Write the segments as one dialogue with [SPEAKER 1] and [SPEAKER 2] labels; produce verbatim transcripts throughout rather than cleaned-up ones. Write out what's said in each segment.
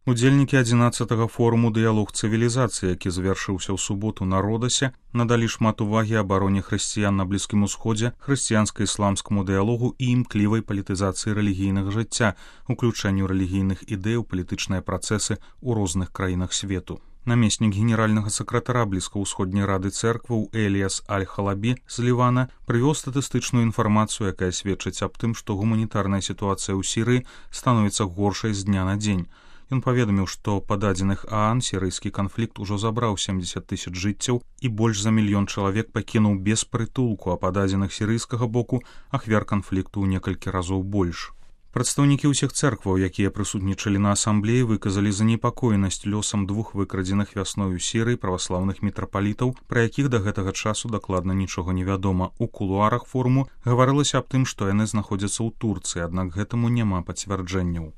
[SPEAKER 1] Удзельнікі адзінаццатага форуму «Дыялог цывілізацыі», які завяршыўся ў суботу на Родасе, надалі шмат увагі абароне хрысціян на Блізкім Усходзе, хрысціянска-ісламскаму дыялогу і імклівай палітызацыі рэлігійнага жыцця, уключэнню рэлігійных ідэй у палітычныя працэсы ў розных краінах свету. Намеснік генеральнага сакратара Блізкаўсходняй рады цэркваў Эліяс Аль-Халабі з Лівана прывёў статыстычную інфармацыю, якая сведчыць аб тым, што гуманітарная сітуацыя ў Сірыі становіцца горшай з дня на дзень. Ён паведаміў, што па дадзеных ААН сірыйскі канфлікт ужо забраў сямдзесят тысяч жыццяў і больш за мільён чалавек пакінуў без прытулку, а па дадзеных сірыйскага боку ахвяр канфлікту ў некалькі разоў больш. Прадстаўнікі ўсіх цэркваў, якія прысутнічалі на асамблеі, выказалі занепакоенасць лёсам двух выкрадзеных вясной у Сірыі праваслаўных мітрапалітаў, пра якіх да гэтага часу дакладна нічога не вядома. У кулуарах форуму гаварылася аб тым, што яны знаходзяцца ў Турцыі, аднак гэтаму няма пацвярджэнняў.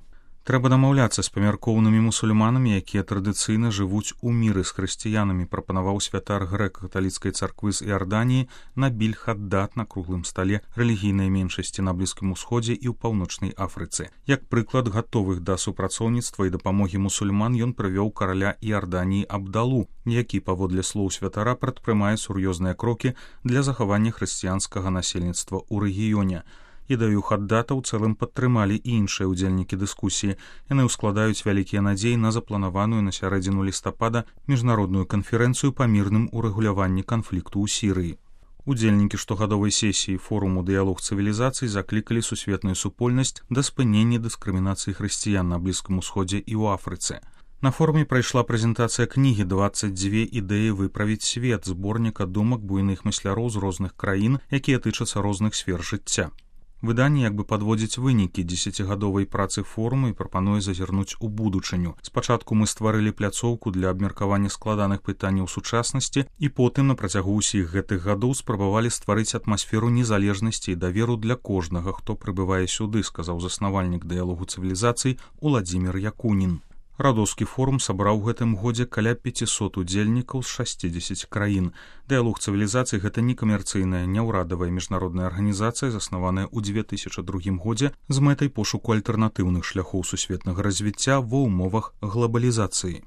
[SPEAKER 1] Трэба дамаўляцца з памяркоўнымі мусульманамі, якія традыцыйна жывуць у міры з хрысціянамі, прапанаваў святар грэка-каталіцкай царквы з Іарданіі Набіль Хаддад на круглым стале рэлігійнай меншасці на Блізкім Усходзе і ў Паўночнай Афрыцы. Як прыклад гатовых да супрацоўніцтва і дапамогі мусульман ён прывёў караля Іарданіі Абдалу, які, паводле слоў святара, прадпрымае сур'ёзныя крокі для захавання хрысціянскага насельніцтва ў рэгіёне. Ідаю Хаддата ў цэлым падтрымалі і іншыя ўдзельнікі дыскусіі. Яны ўскладаюць вялікія надзеі на запланаваную на сярэдзіну лістапада міжнародную канферэнцыю па мірным урэгуляванні канфлікту ў Сірыі. Удзельнікі штогадовай сесіі форуму «Дыялог цывілізацый» заклікалі сусветную супольнасць да спынення дыскрымінацыі хрысціян на Блізкім Усходзе і ў Афрыцы. На форуме прайшла прэзентацыя кнігі «дваццаць дзве ідэі выправіць свет», зборніка думак буйных мысляроў з розных краін, якія тычацца розных сфер жыцця. Выданне як бы падводзіць вынікі дзесяцігадовай працы форуму і прапануе зазірнуць у будучыню. Спачатку мы стварылі пляцоўку для абмеркавання складаных пытанняў сучаснасці і потым на працягу ўсіх гэтых гадоў спрабавалі стварыць атмасферу незалежнасці і даверу для кожнага, хто прыбывае сюды, сказаў заснавальнік дыялогу цывілізацый Уладзімір Якунін. Радоўскі форум сабраў у гэтым годзе каля пяцісот удзельнікаў з шасцідзесяці краін. Дыялог цывілізацый — гэта некамерцыйная, няўрадавая міжнародная арганізацыя, заснаваная ў дзве тысячы другім годзе з мэтай пошуку альтэрнатыўных шляхоў сусветнага развіцця ва ўмовах глабалізацыі.